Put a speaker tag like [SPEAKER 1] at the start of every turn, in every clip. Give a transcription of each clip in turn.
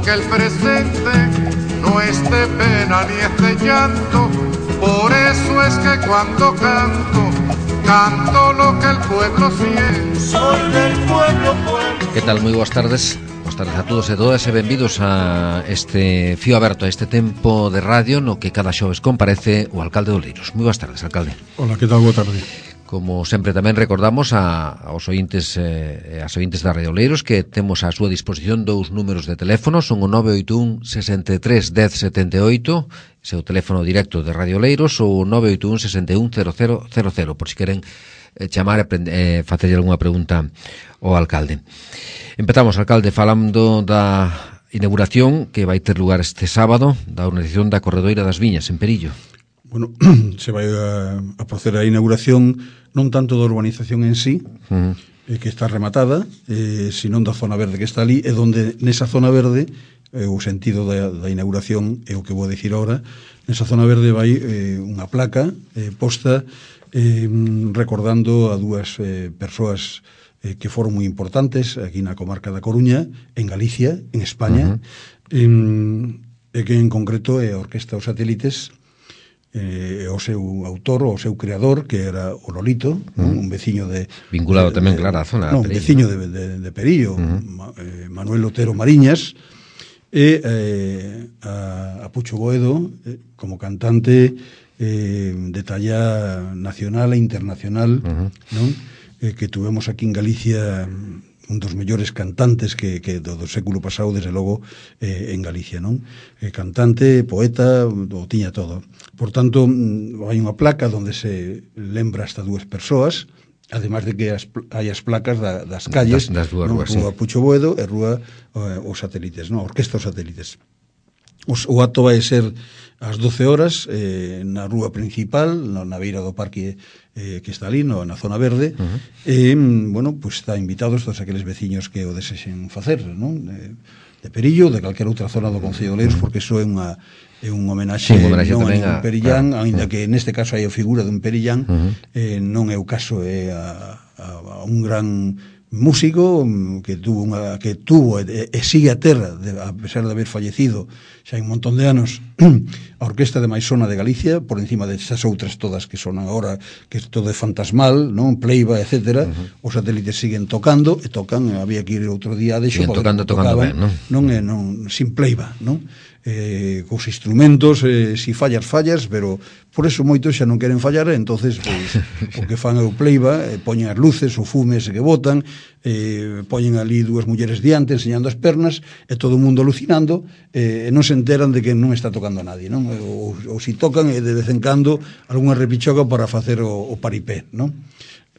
[SPEAKER 1] que el presente no es de pena ni es de llanto. Por eso es que cuando canto, canto lo que el pueblo siente. Soy del pueblo, pueblo.
[SPEAKER 2] Que tal? Moi boas tardes. Boas tardes a todos e todas e benvidos a este fío aberto, a este tempo de radio no que cada xoves comparece o alcalde de Oleiros. Moi boas tardes, alcalde.
[SPEAKER 3] Hola, que tal? Boa tarde.
[SPEAKER 2] Como sempre tamén recordamos aos ointes e as ointes da Radio Oleiros que temos á súa disposición dous números de teléfono, son o 981 63 10 78, ese é o teléfono directo de Radio Oleiros, ou o 981 61 0000, por si queren chamar e facerlle algunha pregunta ao alcalde. Empezamos, alcalde, falando da inauguración que vai ter lugar este sábado da organización da Corredoira das Viñas en Perillo.
[SPEAKER 3] Bueno, se vai a proceder a inauguración non tanto da urbanización en sí, que está rematada, senón da zona verde que está ali, e donde nesa zona verde, o sentido da inauguración é o que vou dicir ahora, nesa zona verde vai unha placa posta recordando a dúas persoas que foron moi importantes aquí na comarca da Coruña, en Galicia, en España, e que en concreto é a Orquesta Os Satélites, o seu autor, o seu creador, que era o Lolito, un veciño de...
[SPEAKER 2] Vinculado tamén, claro, a zona
[SPEAKER 3] de Perillo. Un veciño de Perillo, Manuel Otero Mariñas, e a Pucho Boedo, como cantante de talla nacional e internacional, non? Que tuvemos aquí en Galicia un dos mellores cantantes que do século pasado, desde logo, en Galicia, non? Cantante, poeta, o tiña todo. Por tanto, hai unha placa onde se lembra estas dúas persoas, además de que hai as placas das calles,
[SPEAKER 2] das dúas ruas,
[SPEAKER 3] Rúa Pucho Boedo e Rúa Os Satélites, non? Orquesta Os Satélites. O acto vai ser ás 12 horas na rúa principal, na beira do parque que está ali, na zona verde, e, bueno, pues está invitados todos aqueles veciños que o desexen facer, non? De Perillo, de calquera outra zona do Concello de Oleiros, porque iso é un homenaxe non a un perillán, aínda que neste caso hai a figura dun perillán, non é o caso, é a un gran músico que tuvo e sigue a terra, a pesar de haber fallecido xa hai un montón de anos, a Orquesta de Maisona de Galicia, por encima desas outras todas que sonan agora, que todo é fantasmal, non? Pleiba, etcétera. Os Satélites siguen tocando, e tocan, había que ir outro día de xo,
[SPEAKER 2] tocando ben, non?
[SPEAKER 3] Sin pleiba, non? Cos instrumentos, si fallas, pero por eso moitos xa non queren fallar, entonces pois, o que fan é o pleiba, poñen as luces, o fume ese que botan, poñen ali dúas mulleres diante enseñando as pernas, e todo o mundo alucinando, e non se enteran de que non está tocando a nadie, non? Ou si tocan, e de vez en cando algunha repichoca para facer o paripé, non?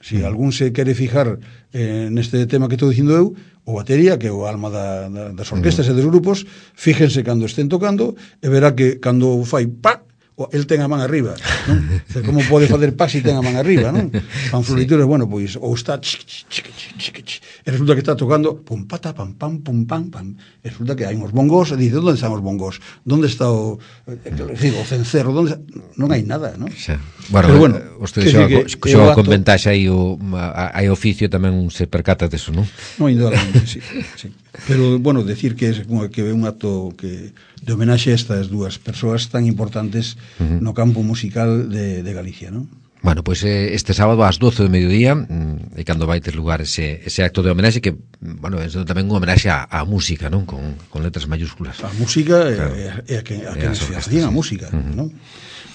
[SPEAKER 3] Si algún se quere fijar neste tema que estou dicindo eu, o batería, que é o alma das orquestas e dos grupos, fíjense cando estén tocando e verá que cando fai pa, el ten a man arriba, non? Como pode facer pa si ten a man arriba, non? Fan florituras, bueno, pois ou está e resulta que está tocando pum pata pam pam pum pam pam, e resulta que hai uns bongos, e dice, onde están os bongos? Onde está o cencerro? Non hai nada, non?
[SPEAKER 2] Bueno, vostede xoga con ventaxa aí hai oficio tamén se percata deso, non?
[SPEAKER 3] Non, indudablemente, sí. Pero, bueno, decir que é un acto de homenaxe a estas dúas persoas tan importantes no campo musical de Galicia, non?
[SPEAKER 2] Bueno, pois este sábado ás 12 do mediodía é cando vai ter lugar ese acto de homenaxe que, bueno, é tamén unha homenaxe á música, non? Con letras mayúsculas.
[SPEAKER 3] A música e a que se facían a música, non?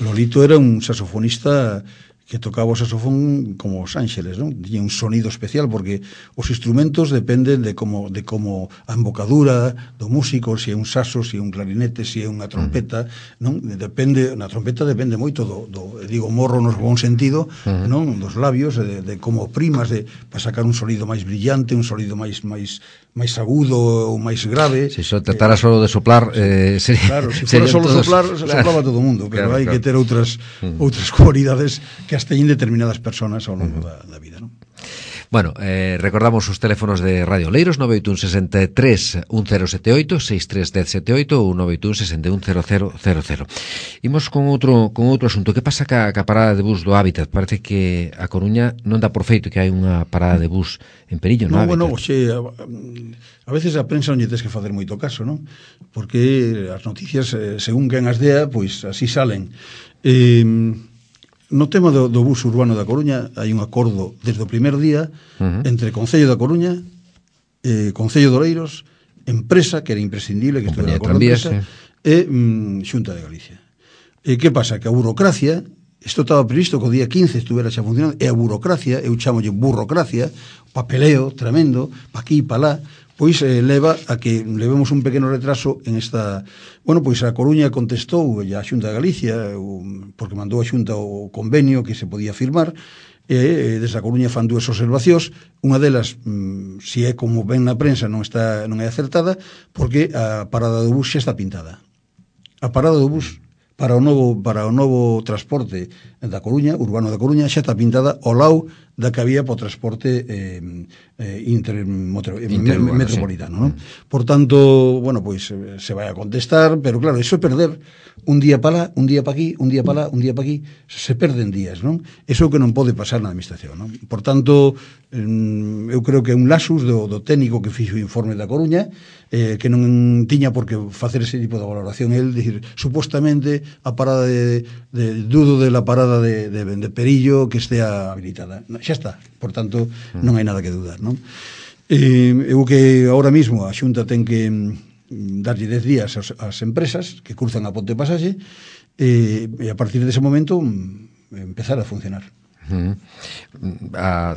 [SPEAKER 3] Lolito era un saxofonista que tocaba o saxofón como os ángeles, non? Tiña un sonido especial porque os instrumentos dependen de como a embocadura do músico, se é un saxo, se é un clarinete, se é unha trompeta, non? Na trompeta depende moito digo, morro no bon sentido, non? Dos labios, de como primas para sacar un sonido máis brillante, un sonido máis agudo ou máis grave.
[SPEAKER 2] Se só tratara só de soplar,
[SPEAKER 3] claro, se fora só soplar, soplaba todo o mundo, pero hai que ter outras cualidades que as teñen determinadas persoas ao longo da vida, non?
[SPEAKER 2] Bueno, recordamos os teléfonos de Radio Oleiros, 981 63 1078, 63 1078 ou 981 61 0000. Imos con outro asunto. Que pasa ca parada de bus do Hábitat? Parece que a Coruña non dá por feito que hai unha parada de bus en Perillo, no Hábitat.
[SPEAKER 3] Bueno, a veces a prensa non lle tes que facer moito caso, non? Porque as noticias, según quen as dea, pois así salen. No tema do bus urbano da Coruña hai un acordo desde o primer día entre Concello da Coruña, Concello de Oleiros, empresa, que era imprescindible que estuvera acordo empresa, e Xunta de Galicia. Que pasa? Que a burocracia, isto estaba previsto que o día 15 estuvera xa funcionando, e a burocracia, eu chamolle burocracia, papeleo tremendo, pa aquí e pa lá, pois leva a que levemos un pequeno retraso en esta... Bueno, pois a Coruña contestou a Xunta de Galicia, porque mandou a Xunta o convenio que se podía firmar, e desde a Coruña fan dúas observacións. Unha delas, se é como ven na prensa, non é acertada, porque a parada do bus xa está pintada. A parada do bus para o novo transporte da Coruña, urbano da Coruña, xa está pintada ao lado da que había para o transporte metropolitano, non? Por tanto, bueno, pois se vai a contestar, pero claro, iso é perder un día para lá, un día para aquí, un día para lá, un día para aquí, se perden días, non? Iso é o que non pode pasar na administración, non? Por tanto, eu creo que é un lasus do técnico que fixo o informe da Coruña, que non tiña por que facer ese tipo de valoración. El, dicir, supostamente a parada dudo de la parada de Perillo que estea habilitada. Xa está, por tanto, non hai nada que dudar, non? Eu que ahora mismo a Xunta ten que darlle 10 días ás empresas que cruzan a ponte pasaxe e a partir dese momento empezar a funcionar.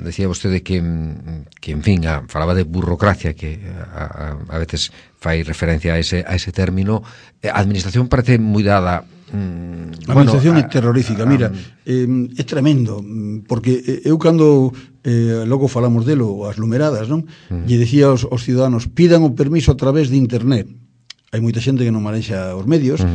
[SPEAKER 2] Decía vostede que en fin, falaba de burocracia, que a veces fai referencia a ese término. A administración parece moi dada.
[SPEAKER 3] A administración é terrorífica, mira, é tremendo, porque eu cando logo falamos delo, as numeradas, non? Lle decía aos ciudadanos, pidan o permiso a través de internet. Hai moita xente que non manexa os medios.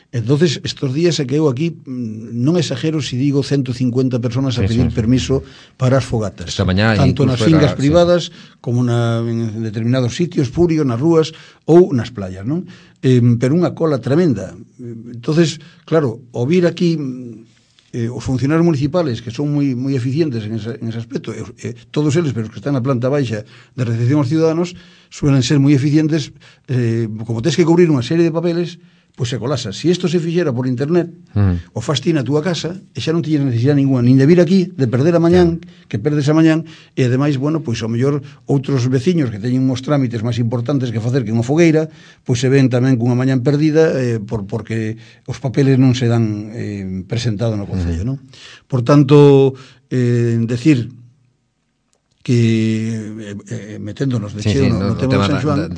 [SPEAKER 3] Entonces, estos días é que eu aquí non exagero se digo 150 personas a pedir permiso para as fogatas.
[SPEAKER 2] Esta mañá,
[SPEAKER 3] tanto nas fingas privadas como en determinados sitios, Furio, nas rúas ou nas playas, non? Pero unha cola tremenda. Entonces, claro, o vir aquí os funcionarios municipales que son moi eficientes en ese aspecto, todos eles, pero os que están na planta baixa de recepción aos ciudadanos, suelen ser moi eficientes, como tens que cubrir unha serie de papeles, pois se colasa. Se isto se fixera por internet, o fas ti na túa casa, e xa non tiñes necesidade ninguna, nin de vir aquí, de perder a mañán, que perdes a mañán, e ademais, bueno, pois ao mellor outros veciños que teñen uns trámites máis importantes que facer que unha fogueira, pois se ven tamén cunha mañán perdida porque os papeles non se dan presentado no Concello, non? Por tanto, decir que meténdonos de cheo no tema de San Xoán,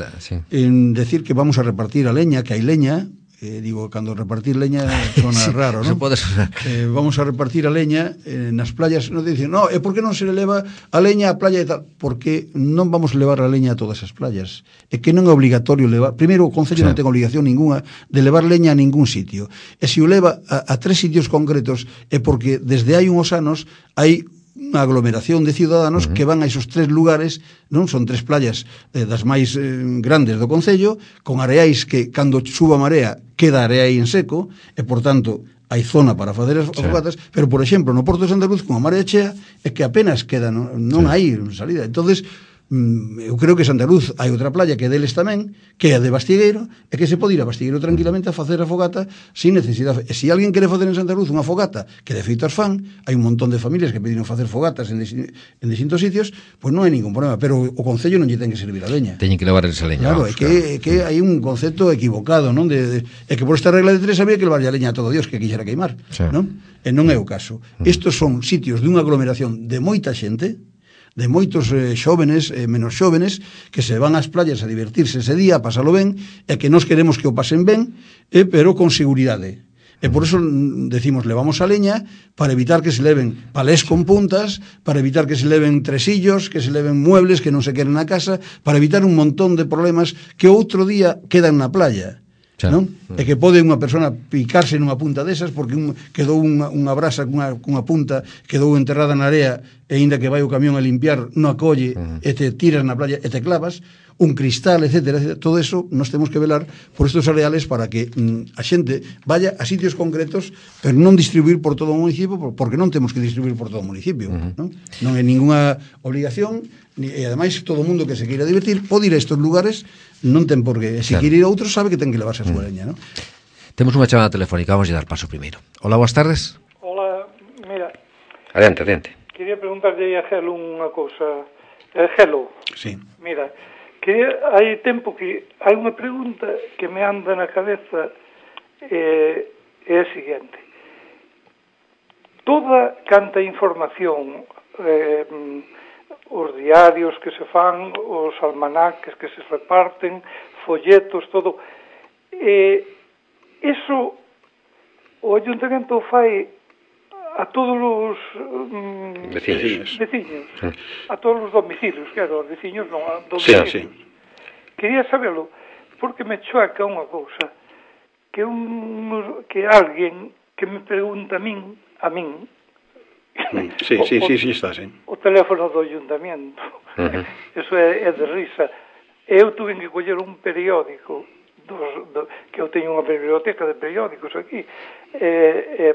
[SPEAKER 3] en decir que vamos a repartir a leña, que hai leña, digo, cando repartir leña sona raro, non?
[SPEAKER 2] Pode sonar.
[SPEAKER 3] Vamos a repartir a leña nas playas, non dicen, no, e por que non se leva a leña á playa e tal? Porque non vamos a levar a leña a todas as playas. É que non é obligatorio levar, primeiro o Concello non ten obligación ninguna de levar leña a ningún sitio. E se o leva a 3 sitios concretos é porque desde hai uns anos hai unha aglomeración de ciudadanos que van a esos 3 lugares, non? Son 3 playas das máis grandes do Concello, con areais que, cando suba a marea, queda area aí en seco, e, por tanto, hai zona para facer as fogatas, pero, por exemplo, no Porto de Santa Cruz, con a marea chea, é que apenas queda, non hai salida. Entonces, eu creo que Santa Cruz hai outra playa que é deles tamén, que é a de Bastigueiro, e que se pode ir a Bastigueiro tranquilamente a facer a fogata sin necesidade. E se alguén quere facer en Santa Cruz unha fogata, que de feito as fan, hai un montón de familias que pediron facer fogatas en distintos sitios, pois non hai ningún problema, pero o Concello non lle ten que servir a leña.
[SPEAKER 2] Teñen que levar esa leña.
[SPEAKER 3] Claro, é que hai un concepto equivocado, non? É que por esta regla de 3 había que levarlle a leña a todo Dios que quixera queimar, non? E non é o caso. Estos son sitios de unha aglomeración de moita xente, de moitos xóvenes, menos xóvenes, que se van ás playas a divertirse ese día, a pasalo ben, e que nós queremos que o pasen ben, pero con seguridade. E por eso decimos, levamos a leña para evitar que se leven palés con puntas, para evitar que se leven tresillos, que se leven muebles que non se queren na casa, para evitar un montón de problemas que outro día quedan na playa. non? E que pode unha persona picarse nunha punta desas porque quedou unha brasa cunha punta, quedou enterrada na area e aínda que vai o camión a limpiar non acolle e te tiras na playa e te clavas, un cristal, etcétera. Todo eso nos temos que velar por estos areales para que a xente vaya a sitios concretos, pero non distribuir por todo o municipio, porque non temos que distribuir por todo o municipio, non é ninguna obligación, e ademais todo o mundo que se queira divertir pode ir a estos lugares, non ten por qué, se queire ir a outros sabe que ten que levarse a súa leña, non?
[SPEAKER 2] Temos unha chamada telefónica, vamos a dar paso primeiro. Hola, boas tardes.
[SPEAKER 4] Hola, mira.
[SPEAKER 2] Adiante.
[SPEAKER 4] Quería preguntarlle a Gelo unha cousa. Gelo.
[SPEAKER 3] Sí.
[SPEAKER 4] Mira, hai tempo que hai unha pregunta que me anda na cabeza é a seguinte. Toda canta información, os diarios que se fan, os almanaques que se reparten, folletos, todo, eso o Ayuntamento fai a todos os veciños, a todos os domicilios, claro, os veciños non, a domicilios.
[SPEAKER 5] Sí.
[SPEAKER 4] Quería sabelo, porque me choca unha cousa, que alguén que me pregunta a min,
[SPEAKER 5] Sí, está, sí.
[SPEAKER 4] O teléfono do Ayuntamiento. Eso é de risa. Eu tuve que coller un periódico que eu teño unha biblioteca de periódicos aquí,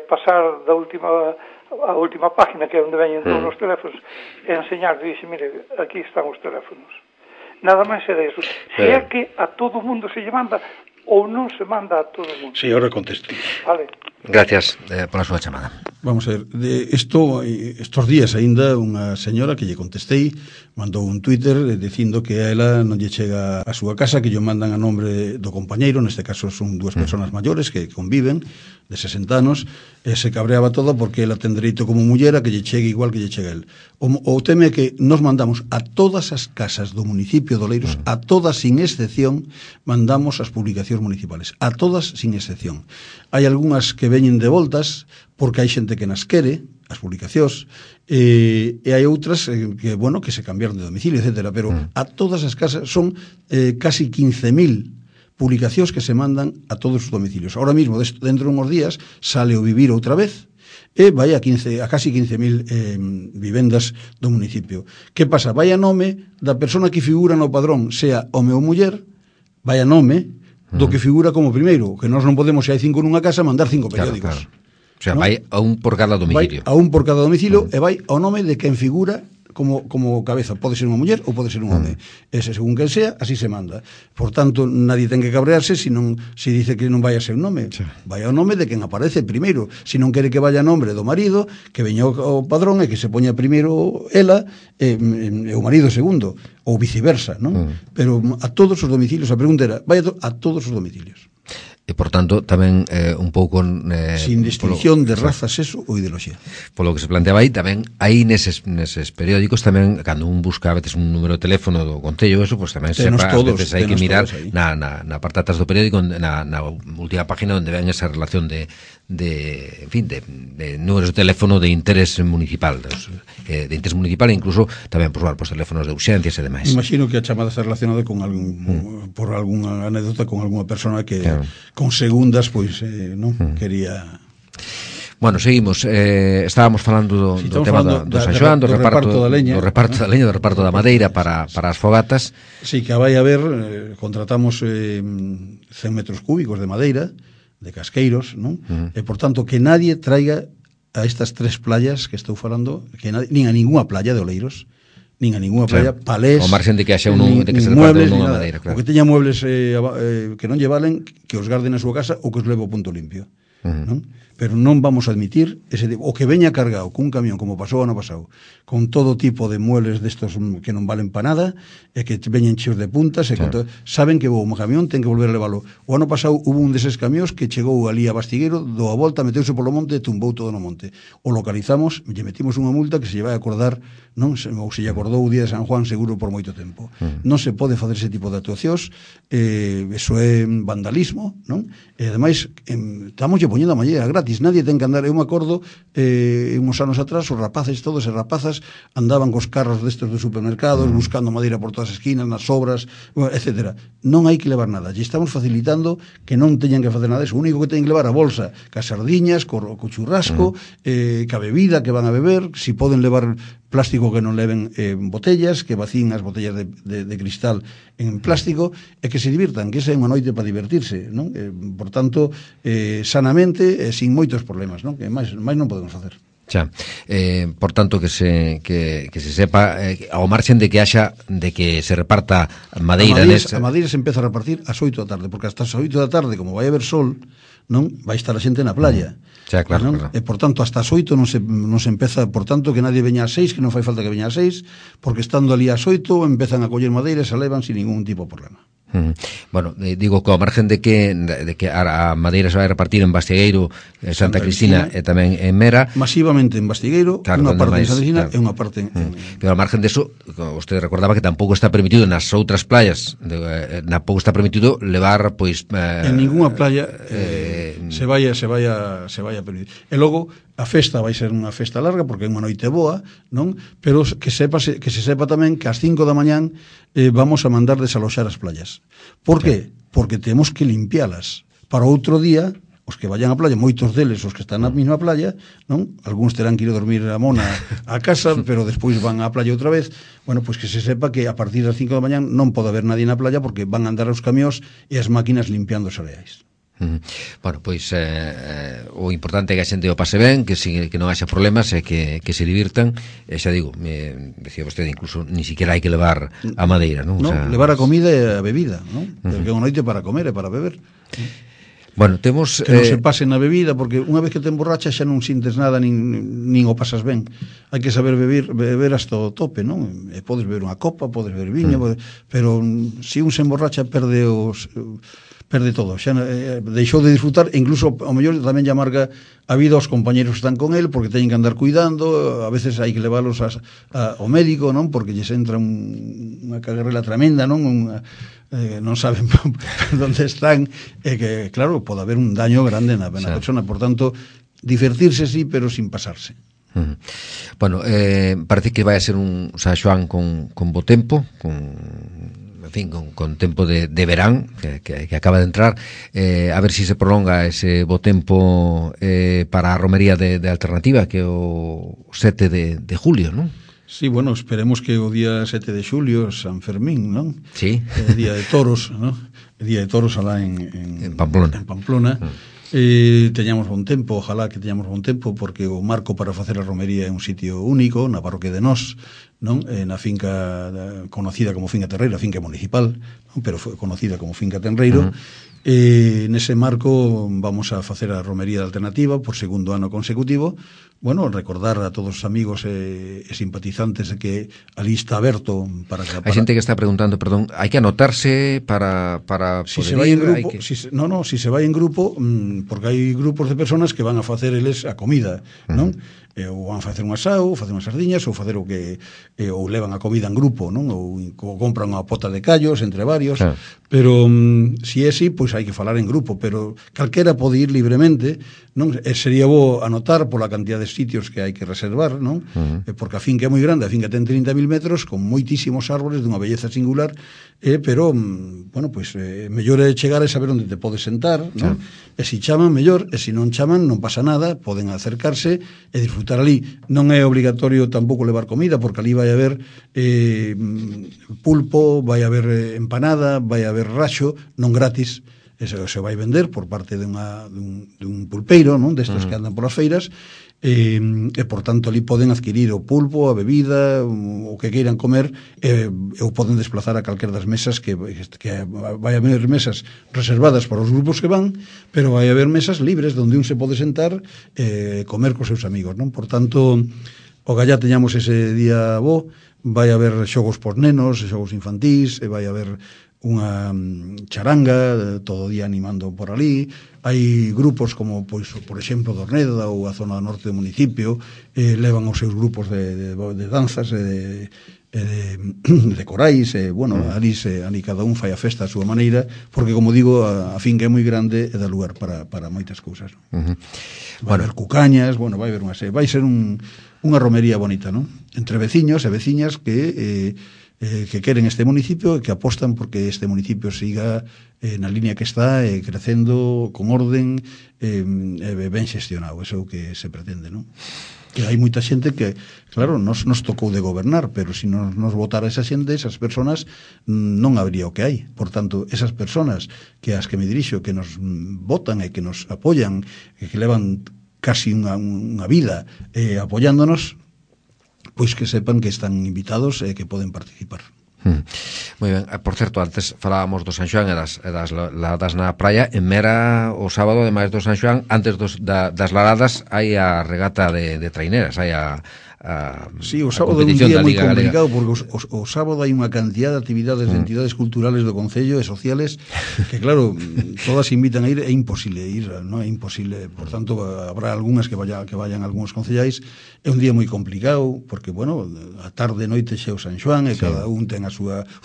[SPEAKER 4] pasar a última página, que é onde veñen todos os teléfonos, e enseñar, dixe, mire, aquí están os teléfonos. Nada máis era eso. Se é que a todo mundo se lle manda ou non se manda a todo mundo.
[SPEAKER 5] Sí, ahora contesté.
[SPEAKER 4] Vale.
[SPEAKER 2] Gracias pola súa chamada.
[SPEAKER 3] Vamos a ver, estos días aínda unha señora que lle contestei mandou un Twitter dicindo que a ela non lle chega a súa casa, que lle mandan a nombre do compañeiro, neste caso son dúas persoas maiores que conviven de 60 anos, e se cabreaba todo porque ela ten dereito como muller a que lle chegue igual que lle chega el. O teme que nos mandamos a todas as casas do municipio de Oleiros, a todas sin excepción, mandamos as publicacións municipales, a todas sin excepción. Hai algunhas que veñen de voltas porque hai xente que nas quere, as publicacións, e hai outras que se cambiaron de domicilio, etcétera, pero a todas as casas son casi 15.000 publicacións que se mandan a todos os domicilios. Ahora mismo, dentro de uns días, sale o Vivir outra vez, e vai a casi 15.000 vivendas do municipio. Que pasa? Vai a nome da persona que figura no padrón, sea home ou muller, vai a nome do que figura como primeiro, que nós non podemos, se hai 5 nunha casa, mandar 5 periódicos.
[SPEAKER 2] Claro. O sea, vai a un por cada domicilio.
[SPEAKER 3] Vai a un por cada domicilio e vai ao nome de quen figura como cabeza. Pode ser unha muller ou pode ser un home. Ese, según quen sea, así se manda. Por tanto, nadie ten que cabrearse se dice que non vai a ser un nome. Sí. Vai ao nome de quen aparece primeiro. Se non quere que vaya a nombre do marido, que veña o padrón e que se poña primeiro ela e o marido segundo, ou viceversa, non? Pero a todos os domicilios, a pregunta era, vai a todos os domicilios.
[SPEAKER 2] E, por tanto, tamén un pouco...
[SPEAKER 3] sin distinción de raza, sexo ou ideoloxía.
[SPEAKER 2] Polo que se planteaba aí, tamén hai neses periódicos tamén, cando un busca a veces un número de teléfono do concello, eso, pues tamén sepa, a veces hai que mirar na parte atrás do periódico, na última página onde ven esa relación de números de teléfono de interés municipal, de interés municipal, e incluso tamén por teléfonos de urxencias e demais.
[SPEAKER 3] Imagino que a chamada está relacionada con por algunha anécdota con algunha persona que con segundas, pois, non quería...
[SPEAKER 2] Bueno, seguimos. Estábamos falando do tema do San Xoán, do reparto da leña, do reparto da madeira para as fogatas.
[SPEAKER 3] Sí, que vai haber, contratamos 100 metros cúbicos de madeira, de casqueiros, non? E, por tanto, que nadie traiga a estas 3 playas que estou falando, nin a ninguna playa de Oleiros, nin a ninguna playa, palés,
[SPEAKER 2] o marxen de que haxa de que se reparte unha madeira, claro.
[SPEAKER 3] O que teña muebles que non lle valen, que os garden na súa casa ou que os leve ao punto limpio, non? Pero non vamos a admitir o que veña cargado cun camión, como pasou ano pasado, con todo tipo de muebles destos que non valen para nada, e que veñen cheos de puntas, e saben que o camión ten que volver a leválo. O ano pasado hubo un deses camións que chegou ali a Bastigueiro, do a volta, meteuse polo monte e tumbou todo no monte. O localizamos, lle metimos unha multa que se lle vai a acordar, non? Ou se lle acordou o día de San Juan seguro por moito tempo. Non se pode facer ese tipo de actuacións, eso é vandalismo, non? E ademais, estamos lle poñendo a malleira gratis, nadie ten que andar. Eu me acordo, uns anos atrás, os rapaces todos e rapazas andaban cos carros destes dos supermercados, buscando madeira por todas as esquinas, nas obras, etc. Non hai que levar nada, lle estamos facilitando que non teñan que facer nada disso. O único que teñen que levar a bolsa, cas sardiñas, co churrasco, ca bebida que van a beber, si poden levar plástico que non leven botellas, que vacíen as botellas de cristal en plástico, e que se divirtan, que esa é unha noite para divertirse, non? Por tanto, sanamente e sin moitos problemas, non? Que máis non podemos facer.
[SPEAKER 2] Xa, por tanto que se sepa ao marxen de que se reparta madeira
[SPEAKER 3] a madeira se empeza a repartir ás 8 da tarde, porque hasta as 8 da tarde, como vai haber sol, non vai estar a xente na playa.
[SPEAKER 2] Xa, claro, claro.
[SPEAKER 3] E por tanto hasta as 8 non se empeza, por tanto que nadie veña ás 6, que non fai falta que veña ás 6, porque estando ali ás 8 empezan a coller madeira e se levan sin ningún tipo de problema.
[SPEAKER 2] Bueno, digo que ao margen de que a madeira se vai repartir en Bastiegueiro, Santa Cristina e tamén en Mera,
[SPEAKER 3] masivamente en Bastiegueiro,
[SPEAKER 2] claro,
[SPEAKER 3] unha parte
[SPEAKER 2] máis,
[SPEAKER 3] en Santa Cristina,
[SPEAKER 2] claro.
[SPEAKER 3] E unha parte en
[SPEAKER 2] pero ao margen deso, usted recordaba que tampouco está permitido nas outras playas, tampouco está permitido levar, pois
[SPEAKER 3] en ninguna playa se vai a permitir. E logo a festa vai ser unha festa larga porque é unha noite boa, non? Pero que se sepa tamén que ás 5 da mañán vamos a mandar desaloxar as playas. Por qué? Porque temos que limpialas para outro día. Os que vayan á playa, moitos deles os que están na mesma playa, non? Algúns terán que ir a dormir a mona a casa, pero despois van á playa outra vez. Bueno, pois que se sepa que a partir das 5 da mañán non pode haber nadie na playa porque van a andar os camións e as máquinas limpiando os areais.
[SPEAKER 2] Bueno, pois o importante é que a xente o pase ben, que non haxa problemas e que se divirtan. Xa digo, decía vostede, incluso ni siquiera hai que levar a madeira, non?
[SPEAKER 3] No, levar a comida e a bebida, non? Porque é unha noite para comer e para beber.
[SPEAKER 2] Bueno, temos
[SPEAKER 3] que non se pase na bebida, porque unha vez que te emborracha xa non sintes nada, nin o pasas ben. Hai que saber beber hasta o tope, non? E podes beber unha copa, podes beber viño, pero se un se emborracha perde todo, xa deixou de disfrutar, e incluso ao mellor tamén lle amarga a vida aos compañeros que están con el, porque teñen que andar cuidando, a veces hai que leválos ao médico, non? Porque lles entra unha cagarrela tremenda, non? Non saben onde están, e que, claro, pode haber un daño grande na persona, por tanto, divertirse sí, pero sin pasarse.
[SPEAKER 2] Bueno, parece que vai a ser un San Xoán con bo tempo, con tempo de verán que acaba de entrar, a ver si se prolonga ese bo tempo para a romería de Alternativa, que é o 7 de julio, non?
[SPEAKER 3] Sí, bueno, esperemos que o día 7 de xulio, San Fermín, non?
[SPEAKER 2] Sí.
[SPEAKER 3] Día de toros, non? Día de toros alá en Pamplona. Teñamos bon tempo, ojalá que teñamos bon tempo, porque o marco para facer a romería é un sitio único, na parroquia de Nós, non? Na finca conocida como Finca Tenreiro, a finca municipal, non? Pero foi conocida como Finca Tenreiro. Nese marco vamos a facer a romería de Alternativa por segundo ano consecutivo. Bueno, recordar a todos os amigos e simpatizantes de que ali está aberto para
[SPEAKER 2] Hai xente que está preguntando, perdón, hai que anotarse para
[SPEAKER 3] si se vai en grupo, si se vai en grupo, porque hai grupos de personas que van a facer eles a comida, non? Ou van a facer un asao, ou facer unhas sardiñas, ou facer o que ou levan a comida en grupo, non? Ou compran unha pota de callos entre varios, pero si é así, pois hai que falar en grupo, pero calquera pode ir libremente, non? Sería bo anotar pola cantidad de sitios que hai que reservar, non? Porque a finca é moi grande, a finca ten 30.000 metros con moitísimos árboles dunha belleza singular, pero bueno, pois mellor é chegar e saber onde te podes sentar, non? E se chaman, mellor, e se non chaman, non pasa nada, poden acercarse e disfrutar ali. Non é obligatorio tampouco levar comida, porque ali vai haber pulpo, vai haber empanada, vai haber raxo, non gratis, se vai vender por parte dun pulpeiro, non? Destes que andan polas feiras, e por tanto ali poden adquirir o pulpo, a bebida, o que queiran comer, ou poden desplazar a calquer das mesas, que vai haber mesas reservadas para os grupos que van, pero vai haber mesas libres onde un se pode sentar e comer cos seus amigos, non? Por tanto, o gallá teñamos ese día bo, vai haber xogos por nenos, xogos infantís, e vai haber unha charanga todo o día animando por ali. Hai grupos como, pois, por exemplo, Dorneda ou a zona norte do municipio, levan os seus grupos de danzas e de corais, bueno, ali cada un fai a festa a súa maneira, porque, como digo, a finca é moi grande e dá lugar para moitas cousas, non? Vai haber cucañas, bueno, vai ser unha romería bonita, non? Entre veciños e veciñas que queren este municipio e que apostan porque este municipio siga na línea que está, crecendo con orden e ben xestionado. Eso é o que se pretende, non? Que hai moita xente que, claro, nos tocou de gobernar, pero se nos votara esa xente, esas personas, non habría o que hai. Por tanto, esas personas que as que me dirixo, que nos votan e que nos apoyan, e que levan casi unha vida apoyándonos, pois que sepan que están invitados e que poden participar.
[SPEAKER 2] Moi ben, por certo, antes falábamos do San Xoán e das ladadas na praia. En Mera, o sábado, ademais do San Xoán, antes das ladadas, hai a regata de traineras, hai
[SPEAKER 3] sí, o sábado é un día moi complicado, porque o sábado hai unha cantidad de actividades de entidades culturales do Concello e sociales que, claro, todas invitan a ir, é imposible ir, non é imposible. Por tanto, habrá algunhas que vayan algúns concellais. É un día moi complicado, porque, bueno, a tarde, noite xe o San Xoán, e cada un ten o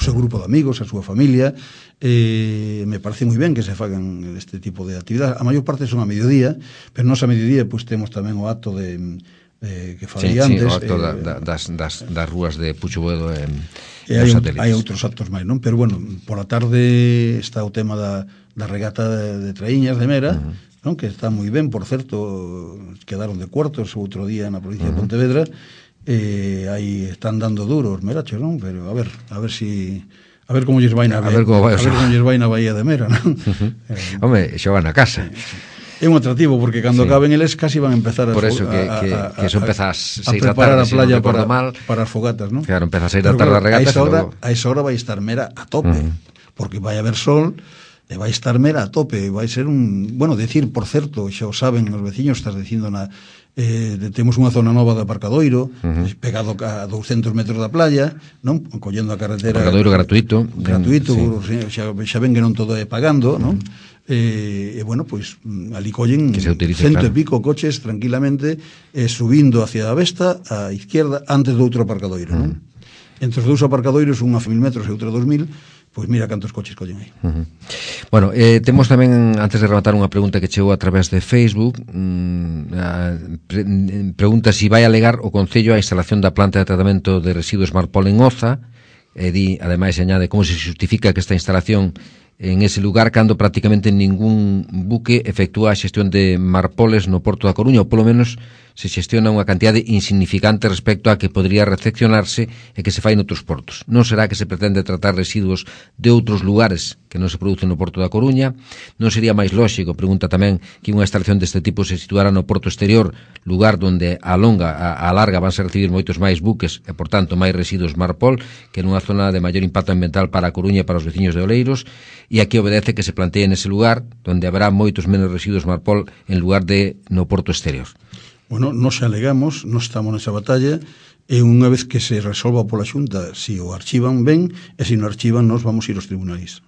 [SPEAKER 3] seu grupo de amigos, a súa familia. Me parece moi ben que se fagan este tipo de actividades. A maior parte son a mediodía, pero nos a mediodía pois temos tamén o acto que falei antes,
[SPEAKER 2] o acto das rúas de Pucho Boedo e
[SPEAKER 3] hai outros actos máis, non? Pero bueno, pola tarde está o tema da regata de traíñas de Mera, non? Que está moi ben, por certo, quedaron de cuartos o outro día na provincia de Pontevedra, aí están dando duros merachos, non? Pero a ver como lles vai na Bahía de Mera, non?
[SPEAKER 2] Home, xa van a casa.
[SPEAKER 3] É un atractivo, porque cando acaben eles casi van a empezar
[SPEAKER 2] por eso que eso empeza a 6 da
[SPEAKER 3] tarde,
[SPEAKER 2] a playa para
[SPEAKER 3] as fogatas, non?
[SPEAKER 2] Claro, empeza a 6 da tarde a regata.
[SPEAKER 3] A esa hora vai estar Mera a tope, porque vai haber sol e vai estar Mera a tope, vai ser bueno, decir, por certo, xa o saben os veciños, estás dicindo temos unha zona nova de aparcadoiro, pegado a 200 metros da playa, non? Collendo a carretera.
[SPEAKER 2] Aparcadoiro gratuito,
[SPEAKER 3] xa ven que non todo é pagando, non? E bueno, pois ali collen 100 e pico coches tranquilamente, subindo hacia a Vesta á izquierda antes do outro aparcadoiro, non? Entre os dous aparcadoiros, un a 1000 metros e outro a 2000, pois mira cantos coches collen aí.
[SPEAKER 2] Bueno, temos tamén, antes de rematar, unha pregunta que chegou a través de Facebook. Pregunta se vai alegar o Concello a instalación da planta de tratamento de residuos Marpol en Oza, e ademais añade como se justifica que esta instalación en ese lugar cando prácticamente ningún buque efectúa a xestión de marpoles no Porto da Coruña, ou polo menos se xestiona unha cantidade insignificante respecto a que podría recepcionarse e que se fai noutros portos. Non será que se pretende tratar residuos de outros lugares que non se producen no Porto da Coruña? Non sería máis lóxico, pregunta tamén, que unha instalación deste tipo se situara no Porto Exterior, lugar onde a larga van a recibir moitos máis buques e, por tanto, máis residuos marpol que nunha zona de maior impacto ambiental para a Coruña e para os veciños de Oleiros, e aquí obedece que se plantee nese lugar onde haberá moitos menos residuos marpol en lugar de no Porto Exterior?
[SPEAKER 3] Bueno, nos alegamos, non estamos nesa batalla, e unha vez que se resolva pola Xunta, si o archivan ben, e se non archivan, nos vamos ir aos tribunais.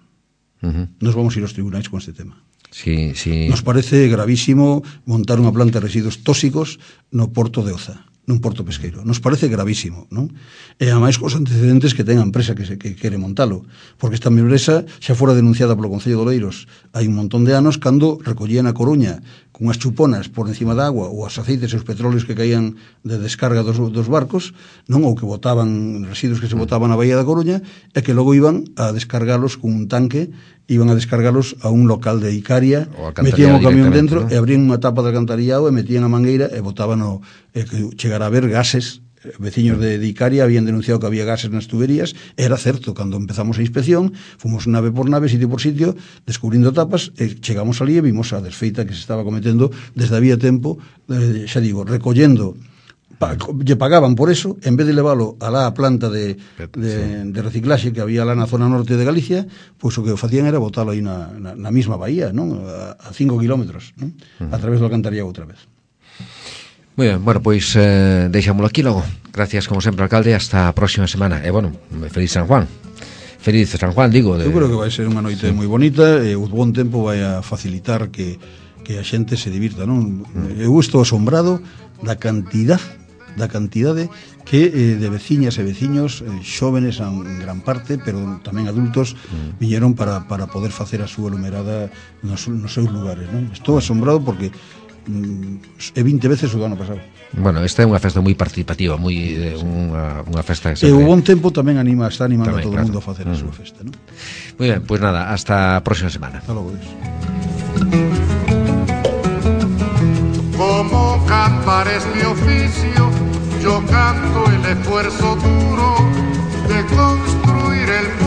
[SPEAKER 3] Nos vamos ir aos tribunais con este tema.
[SPEAKER 2] Sí.
[SPEAKER 3] Nos parece gravísimo montar unha planta de residuos tóxicos no Porto de Oza, nun porto pesqueiro. Nos parece gravísimo, non? E a máis cos antecedentes que ten a empresa que quere montalo, porque esta empresa xa fora denunciada polo Concello de Oleiros hai un montón de anos, cando recollían a Coruña con as chuponas por encima da agua, ou os aceites e os petróleos que caían de descarga dos barcos, non? Ou que botaban residuos que se botaban na Bahía da Coruña, e que logo iban a descargalos con un tanque, iban a descargalos a un local de Icaria, metían o camión dentro, ¿no? E abrían unha tapa de alcantarillado e metían a mangueira e botaban que chegara a haber gases. Veciños de Icaria habían denunciado que había gases nas tuberías. Era certo, cando empezamos a inspección, fomos nave por nave, sitio por sitio, descubrindo tapas, e chegamos ali e vimos a desfeita que se estaba cometendo desde había tempo, xa digo, recollendo. Lle pagaban por eso, en vez de leválo a la planta de reciclaxe que había lá na zona norte de Galicia, pois o que facían era botalo aí na mesma bahía, non? A 5 kilómetros, non? A través do alcantarillado outra vez.
[SPEAKER 2] Moi ben, bueno, pois deixámoslo aquí logo. Gracias, como sempre, alcalde, hasta a próxima semana. E, bueno, feliz San Juan. Feliz San Juan, digo.
[SPEAKER 3] Eu creo que vai ser unha noite moi bonita, e o bon tempo vai a facilitar que a xente se divirta, non? Eu estou asombrado da cantidad da cantidade que de veciñas e veciños, xóvenes en gran parte, pero tamén adultos, viñeron para poder facer a súa lumerada nos seus lugares, non? Estou asombrado porque é 20 veces o do ano pasado.
[SPEAKER 2] Bueno, esta é unha festa moi participativa, moi unha festa que
[SPEAKER 3] sempre... E o bon tempo tamén está animando tamén, a todo o mundo a facer a súa festa, non?
[SPEAKER 2] Moi ben, pois nada, hasta a próxima semana.
[SPEAKER 3] Hasta logo, Dios.
[SPEAKER 1] Como cantar es mi oficio, yo canto el esfuerzo duro de construir el